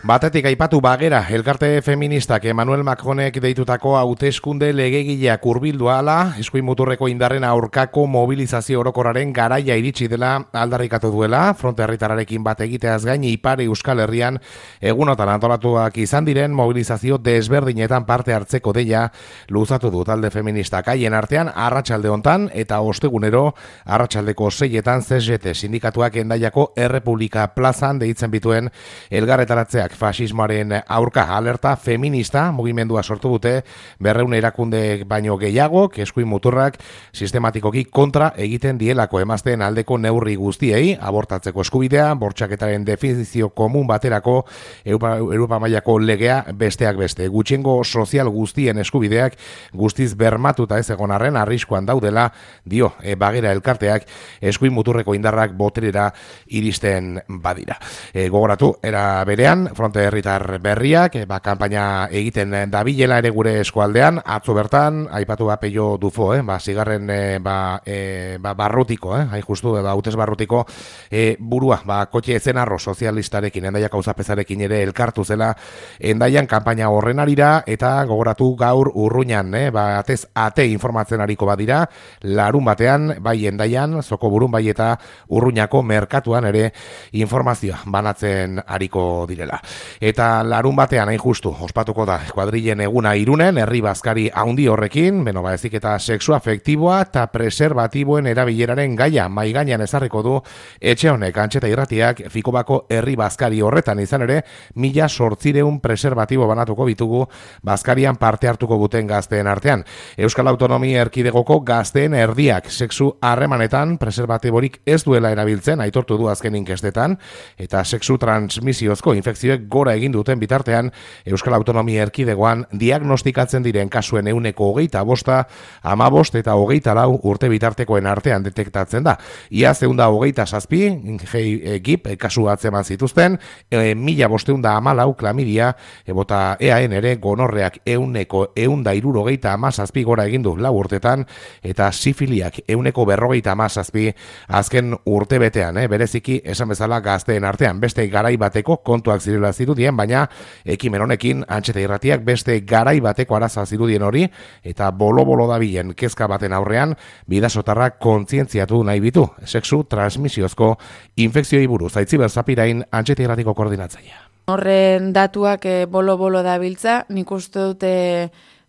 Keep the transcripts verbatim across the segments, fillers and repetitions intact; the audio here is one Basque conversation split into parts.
Batetik aipatu bagera, elkarte feministak Emmanuel Macronek deitutako hauteskunde legegileak hurbildu ahala, eskuin muturreko indarren aurkako mobilizazio orokorraren garaia iritsi dela aldarrikatu duela, fronte herritararekin bat egiteaz gain Ipar Euskal Herrian egunotan antolatuak izan diren mobilizazio desberdinetan parte hartzeko deia luzatu du talde feministak. Haien artean arratsalde hontan eta ostegunero arratsaldeko seietan C S T sindikatuak Hendaiako Errepublika plazan deitzen bituen elgarretaratzeak fasismoaren aurka alerta feminista mugimendua sortu dute berreun erakunde baino gehiago, eskuin muturrak sistematikoki kontra egiten dielako emazteen aldeko neurri guztiei, abortatzeko eskubidea, bortxaketaren definizio komun baterako Europa, Europa mailako legea besteak beste. Gutxiengo sozial guztien eskubideak guztiz bermatuta ez egon arren arriskuan daudela, dio e, bagera elkarteak eskuin muturreko indarrak boterera iristen badira. E, gogoratu, era berean, fronte herritar berriak, ba, kanpaina egiten dabilela ere gure eskualdean, atzo bertan, aipatu ba Peio Dufo, eh, ba, zigarren e, ba, e, ba, barrutiko, eh, hain justu, ba, hautez barrutiko e, burua, ba, kotxe ezenarro sozialistarekin, Hendaiak auzapezarekin ere elkartu zela, Hendaian kanpaina horren arira, eta gogoratu gaur urruñan, eh, ba, atez ate informatzen ariko badira, larun batean, bai Hendaian, zoko burun bai eta urruñako merkatuan ere informazioa banatzen ariko direla. Eta larun batean hain justu ospatuko da kuadrilen eguna Irunen, herri bazkari haundi horrekin, beno ba ezik eta sexu afektiboa eta preserbatiboen erabileraren gaia mai gainean ezarriko du etxe honek. Antxeta Irratiak Fikobako herri bazkari horretan izan ere mila zortzireun preserbatibo banatuko bitugu bazkarian parte hartuko duten gazteen artean. Euskal Autonomia Erkidegoko gazteen erdiak sexu harremanetan preserbatiborik ez duela erabiltzen aitortu du azken inkestetan, eta sexu transmisiozko infekzioek gora egin duten bitartean Euskal Autonomia Erkidegoan diagnostikatzen diren kasuen ehuneko hogeita bosta, hamabost eta hogeita lau urte bitartekoen artean detektatzen da. Ia zeunda hogeita zazpi, G I P kasu atzeman zituzten, e, mila bosteunda hamalau klamidia, ebota E A N ere gonorreak ehuneko ehunda hirurogeita hamazazpi gora egin du lau urtetan, eta sifiliak ehuneko berrogeita hamazazpi azken urte betean, eh, bereziki esan bezala gazteen artean, beste garai bateko kontuak zirela zirudien, baina ekimen honekin Antxeta Irratiak beste garai bateko araza zirudien hori, eta bolo-bolo dabilen kezka baten aurrean, bidasotarrak kontzientziatu nahi bitu, sexu transmisiozko infekzioi buruz. Aitziber Zapirain, Antxeta Irratiko koordinatzailea. Horren datuak e, bolo-bolo dabiltza, nik uste dute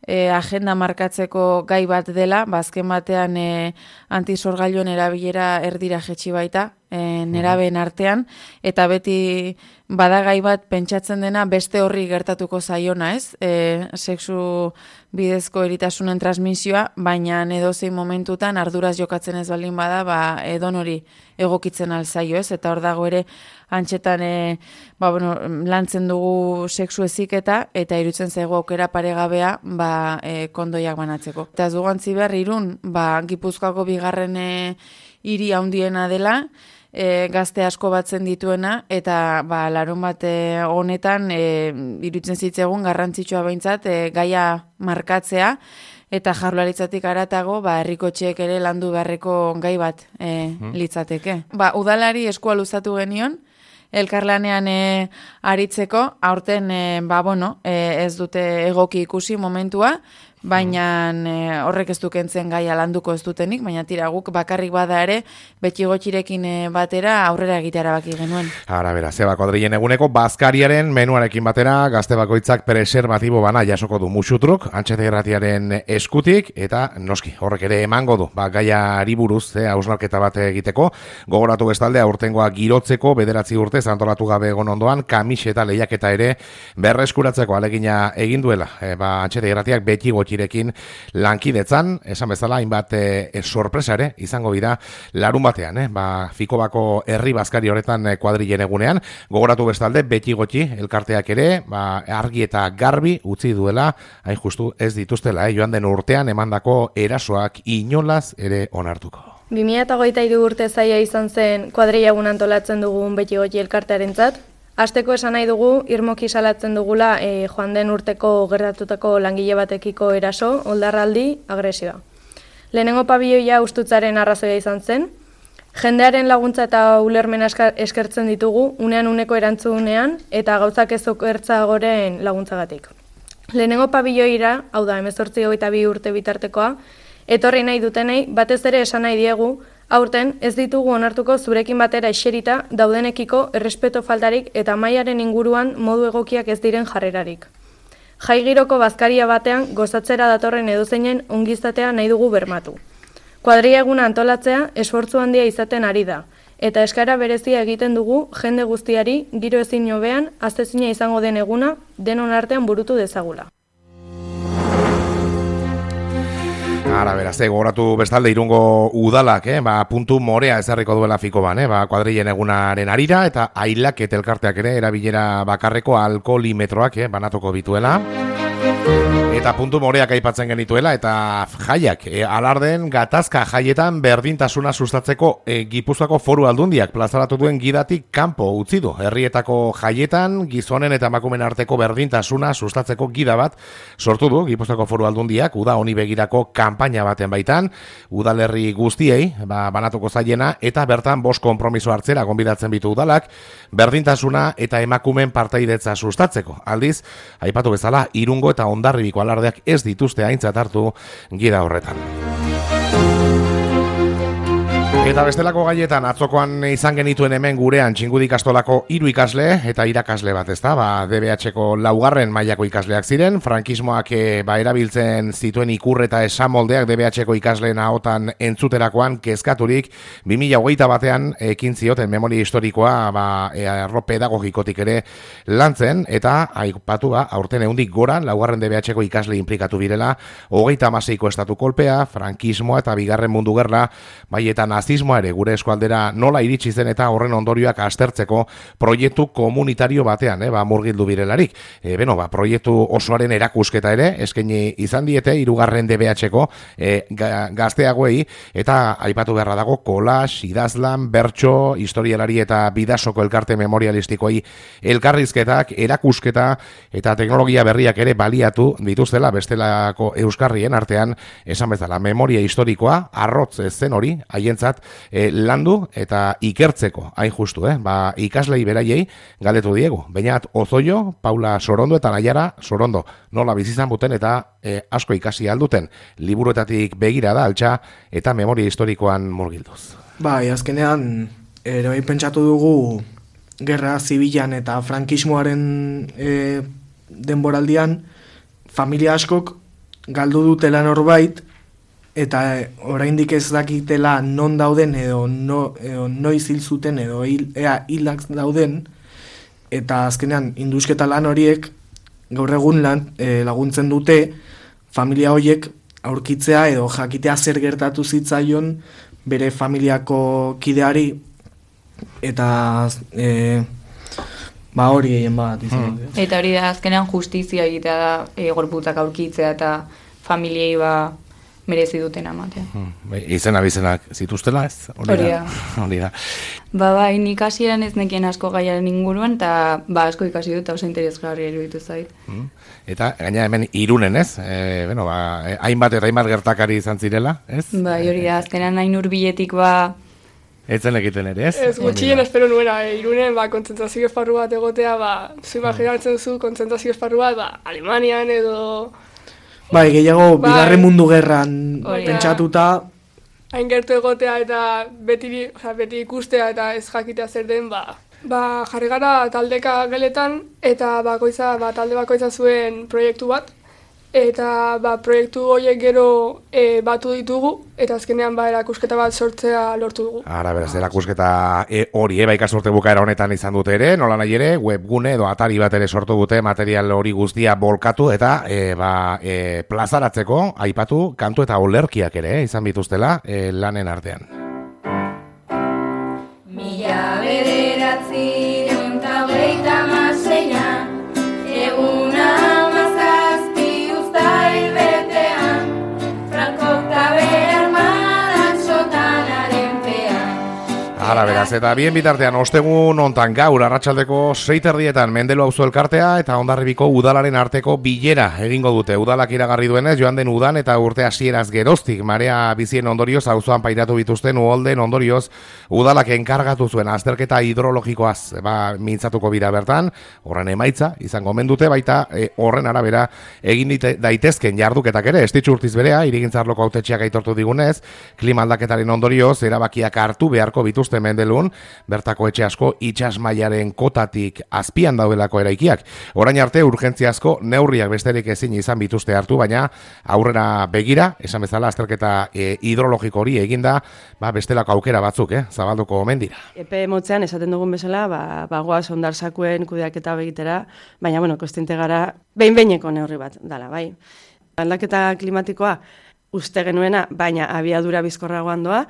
E, agenda markatzeko gai bat dela, bazken batean e, antisorgailuen erabilera erdira jetxi baita, e, nerabeen artean, eta beti badagai bat pentsatzen dena beste horri gertatuko zaiona, ez? E, sexu bidezko eritasunen transmisioa, baina edozein momentutan arduraz jokatzen ez baldin bada, ba, edon hori egokitzen alzaio, ez? Eta hor dago ere Antxetan e, ba, bueno, lantzen dugu sexu heziketa eta irutzen zaigu aukera paregabea ba, e, kondoiak banatzeko. Eta ez dugu antzi behar Irun, ba, Gipuzkoako bigarren e, hiri handiena dela, e, gazte asko batzen dituena, eta ba, larun bat e, honetan e, irutzen zitzegun garrantzitsua behintzat e, gaia markatzea, eta Jaurlaritzatik haratago, ba, herrikotxeek ere landu beharreko gai bat e, litzateke. Ba, udalari eskua luzatu genion, elkarlanean e, aritzeko, aurten e, ba, bueno, e, ez dute egoki ikusi momentua, baina e, horrek ez dukentzen gaia landuko ez dutenik, baina tira guk bakarrik bada ere, beti gotxirekin e, batera aurrera egitea baki genuen. Ara, bera, zeba kuadrilen eguneko bazkariaren menuarekin batera, gazte bakoitzak preservatibo bana jasoko du musutruk, Antxeta Irratiaren eskutik, eta noski, horrek ere emango du, ba, gaiari buruz, eh, hausnarketa bat egiteko, gogoratu bestalde aurtengoa girotzeko, bederatzi urte antolatu gabe egon ondoan, kamiseta lehiaketa ere berreskuratzeko alegina egin duela, e, ba, Antxeta Irratiak beti gotxirekin lankidetzan, esan bezala, hainbat e, sorpresa ere, izango bida, larun batean, eh, ba, Fikobako herri bazkari horretan e, kuadrilen egunean, gogoratu bestalde, beti gotxi, elkarteak ere, ba, argi eta garbi utzi duela, hain justu ez dituztela, eh, joan den urtean emandako erasoak inolaz ere onartuko. bi mila hogeita hiru urte zaia izan zen kuadrilla egun antolatzen dugun beti gotxi elkartearentzat. Hasteko esan nahi dugu, irmoki salatzen dugula e, joan den urteko gertatutako langile batekiko eraso, oldarraldi, agresioa. Lehenengo pabiloia ustutzaren arrazoia izan zen, Jendearen laguntza eta ulermen eskertzen ditugu, unean uneko erantzunean eta gauzak ez okertzagoren laguntzagatik. Lehenengo pabiloira, hau da, hemezortzi hogeita bi urte bitartekoa, etorri nahi dutenei, batez ere esan nahi diegu, aurten ez ditugu onartuko zurekin batera eserita daudenekiko errespeto faltarik eta mailaren inguruan modu egokiak ez diren jarrerarik. Jai giroko bazkaria batean gozatzera datorren edozeinen ongizatea nahi dugu bermatu. Kuadrilla eguna antolatzea esfortzu handia izaten ari da, eta eskaera berezia egiten dugu jende guztiari giro ezin hobean aztezina izango den eguna denon artean burutu dezagula. Ara, beraz, eh, gogoratu bestalde Irungo udalak, eh, ba, puntu morea ezarriko duela fikoban, eh, ba, kuadrillen egunaren arira, eta ailak eta elkarteak ere erabilera bakarreko alkoholimetroak, eh, banatuko bituela. Eta puntu moreak aipatzen genituela, eta jaiak, e, alarden gatazka jaietan berdintasuna sustatzeko e, Gipuzkoako Foru Aldundiak plazaratu duen gidatik kanpo utzi du. Herrietako jaietan gizonen eta emakumeen arteko berdintasuna sustatzeko gida bat sortu du Gipuzkoako Foru Aldundiak, uda honi begirako kanpaina baten baitan, udalerri guztiei, ba, banatuko zaiena, eta bertan bost konpromiso hartzera gonbidatzen bitu udalak, berdintasuna eta emakumeen partaidetza sustatzeko. Aldiz, aipatu bezala, Irungo eta Hondarribiko alardeak ez dituzte aintzat hartu gida horretan. Eta bestelako gaietan atzokoan izan genituen hemen gurean Txingudi ikastolako hiru ikasle eta irakasle bat, ezta? Ba, D B H-ko laugarren mailako ikasleak ziren, frankismoak e, ba, erabiltzen zituen ikur eta esamoldeak D B H-ko ikasleen ahotan entzuterakoan kezkaturik bi mila hogeita batean ekin zioten memoria historikoa ba, e, arlo pedagogikotik ere lantzen, eta aipatu ba, aurten ehundik gora laugarren D B H-ko ikasle inplikatu birela, hogeita hamaseiko estatu kolpea, frankismoa eta bigarren mundu gerra, bai eta nazismoa ere gure eskualdera nola iritsi zen eta horren ondorioak aztertzeko proiektu komunitario batean, eh, ba, murgildu birelarik. E, beno, ba, proiektu osoaren erakusketa ere, eskaini izan diete, hirugarren D B H-ko e, ga, gazteagoei, eta aipatu beharra dago, kolas, idazlan, bertso, historialari eta bidasoko elkarte memorialistikoei elkarrizketak, erakusketa eta teknologia berriak ere baliatu dituztela bestelako euskarrien artean, esan bezala, memoria historikoa, arrotz zen hori, haientzat E, landu eta ikertzeko, hain justu, eh? Ba, ikaslei beraiei galdetu diegu. Bainat Ozoio, Paula Sorondo eta Naiara Sorondo nola bizizan buten eta e, asko ikasi alduten, liburuetatik begira da altxa eta memoria historikoan murgilduz. Bai, azkenean ere bai pentsatu dugu gerra zibilan eta frankismoaren e, denboraldian familia askok galdu dutela norbait, eta oraindik ez dakitela non dauden edo, no, edo noiz hil zuten edo hil, ea hilak dauden, eta azkenean indusketa lan horiek gaur egun lan, e, laguntzen dute familia horiek aurkitzea edo jakitea zer gertatu zitzaion bere familiako kideari, eta e, ba hori egin bat izan. Hmm. Eta hori da azkenean justizia egitea da, e, gorputzak aurkitzea eta familiei ba merezi duten amatea. Hmm, izena bizenak zituztela ez? Hori da. Hori da. Ba, bai, nik hasieran ez nekien asko gaiaren inguruan, eta ba, asko ikasi dut, oso interesgarria iruditu zait. Hmm. Eta, gaina hemen Irunen ez? E, bueno, ba, hainbat eta hainbat gertakari izan zirela, ez? Bai, hori da, azkenan hain hurbiletik ba... Etzen egiten ere, ez? Ez, gutxien espero nuena, e, Irunen, ba, kontzentrazio esparru bat egotea, ba, zu imaginatzen zu kontzentrazio esparru bat, ba, Alemanian edo... Bai, gehiago, bai, bigarren mundu gerran pentsatuta. Hain gertu egotea eta beti, o sea, beti ikustea eta ez jakitea zer den, ba, ba jarri gara taldeka geletan eta bakoitza, ba, talde bakoitza zuen proiektu bat, eta ba, proiektu horiek gero e, batu ditugu, eta azkenean ba, erakusketa bat sortzea lortu dugu. Ara, beraz, erakusketa e, hori, e, ba, ikasurte bukaera honetan izan dute ere, nola nahi ere, webgune edo atari bat ere sortu dute material hori guztia bolkatu, eta e, ba, e, plazaratzeko, aipatu, kantu eta olerkiak ere, eh, izan bituztela, e, lanen artean. Mila bederatzi eta hogeita hamaseian, eguna Ara beraz, eta bien bitartean ostegun ontan gaur arratsaldeko sei terdietan Mendelu auzo elkartea eta Hondarribiko udalaren arteko bilera egingo dute. Udalak iragarri duenez, joan den udan eta urte hasieraz geroztik marea bizien ondorioz auzoan pairatu bituzten uholden ondorioz udalak enkargatu zuen azterketa hidrologikoaz ba, mintzatuko bira bertan, horren emaitza izango mendute baita e, horren arabera egin dite, daitezken jarduketak ere, estitxu urtiz berea, irigintzarloko autetxeak aitortu digunez, klima aldaketaren ondorioz erabakiak hartu beharko bituzten Mendelun, bertako etxe asko itsas mailaren kotatik azpian daudelako eraikiak. Orain arte urgentziazko neurriak besterik ezin izan bituzte hartu, baina aurrera begira, esan bezala azterketa e, hidrologiko hori eginda, ba, bestelako aukera batzuk, eh, zabalduko omen dira. Epe motzean esaten dugun bezala, ba, bagoaz ondarsakuen kudeaketa begitera, baina, bueno, kostinte gara, behin-behineko neurri bat dala, bai. Aldaketa klimatikoa uste genuena, baina abiadura bizkorragoan doa,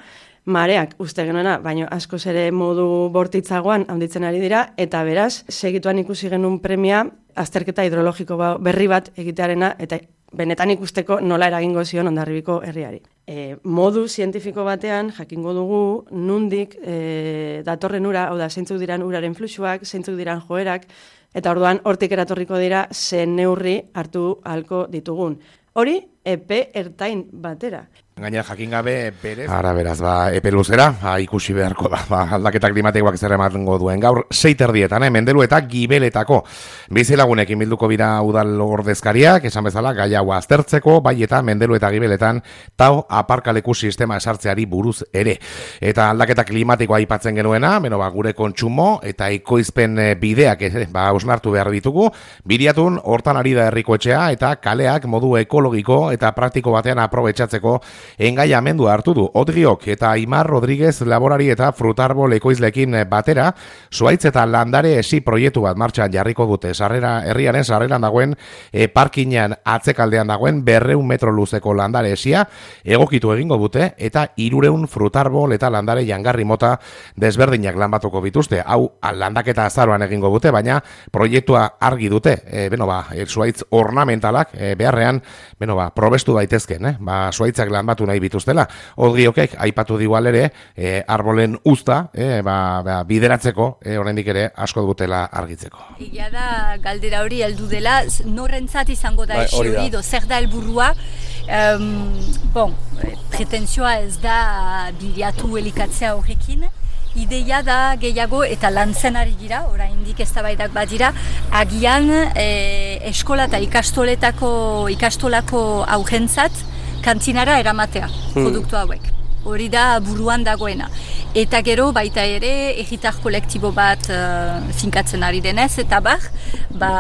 mareak uste genuena, baina askoz ere modu bortitzagoan handitzen ari dira, eta beraz, segituan ikusi genuen premia, azterketa hidrologiko berri bat egitearena, eta benetan ikusteko nola eragingo zion Hondarribiko herriari. E, modu zientifiko batean, jakingo dugu, nundik e, datorren ura, hau da, zeintzuk diran uraren fluxuak, zeintzuk diran joerak, eta orduan hortik eratorriko dira zen neurri hartu ahalko ditugun. Hori, epe ertain batera. Gaina jakin gabe berez. Ara beraz, ba, epe luzera, ba, ikusi beharko da, ba, aldaketa klimatikoak zer ematengo duen. Gaur, sei terdietan, eh, Mendelu eta Gibeletako. Bizilagunekin bilduko bira udal ordezkariak, esan bezala, gai hau aztertzeko, bai eta Mendelu eta Gibeletan, tau aparkaleku sistema esartzeari buruz ere. Eta aldaketa klimatikoa aipatzen genuena, beno, ba, gure kontsumo eta ekoizpen bideak, eh, ba, ausnartu behar ditugu, biriatun, hortan ari da herriko etxea, eta kaleak modu ekologiko eta praktiko batean aprobetxatzeko engaiamendua hartu du. Odriok eta Aimar Rodríguez laborari eta frutarbol ekoizlekin batera, zuaitz eta landare esi proiektu bat martxan jarriko dute. Sarrera, herriaren sarreran dagoen e, parkinean atzekaldean dagoen berreun metro luzeko landare esia egokitu egingo dute eta irureun frutarbol eta landare jangarri mota desberdinak lanbatuko bituzte. Hau landaketa azaroan egingo dute, baina proiektua argi dute. E, beno ba, e, zuaitz ornamentalak e, beharrean, beno ba, probestu daitezken, eh? Ba, zuaitzak lanbatu nahi bituztela. Odriokek aipatu digual ere, e, arbolen uzta, e, ba, ba, bideratzeko, e, oraindik ere asko dutela argitzeko. Egia da, galdera hori heldu dela, norrentzat izango da esi hori, do zer da helburua. Um, bon, pretenzioa ez da bilatu elikatzea horrekin, ideia da gehiago eta lantzen ari gira, oraindik eztabaidak badira, agian e, eskola eta ikastoletako ikastolako aurrentzat kantinara eramatea, produktu hauek. Hori da buruan dagoena. Eta gero baita ere egitar kolektibo bat uh, finkatzen ari denez, eta bar, ba,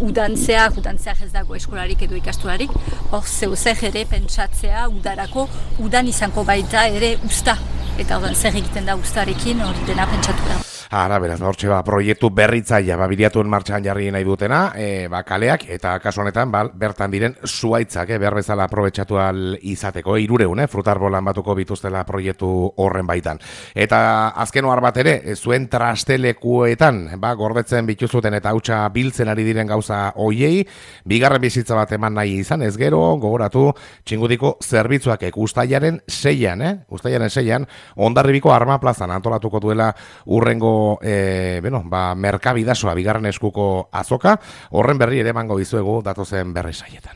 udantzeak, udantzeak ez dago eskolarik edo ikastolarik, hor zeuzer ere pentsatzea udarako, udan izango baita ere usta. Eta ordan zer egiten da ustarekin, hori dena pentsatu da. Ara, beraz, hortxe ba, proiektu berritzaia, ba, biriatuen martxan jarri nahi dutena, e, ba, kaleak, eta kasu honetan, ba, bertan diren zuaitzak, eh, behar bezala aprobetxatu al izateko, e, irureun, eh, frutarbolan batuko bituztela proiektu horren baitan. Eta azken ohar bat ere, zuen trastelekuetan, ba, gordetzen bituzuten eta hautsa biltzen ari diren gauza hoiei, bigarren bizitza bat eman nahi izan, ez gero, gogoratu, txingudiko zerbitzuak ustailaren seian, eh, ustailaren seian, Hondarribiko Arma Plazan antolatuko duela urrengo E, bueno, ba, merkabidasoa bigarren eskuko azoka, horren berri ere emango dizuegu datozen berri saietan.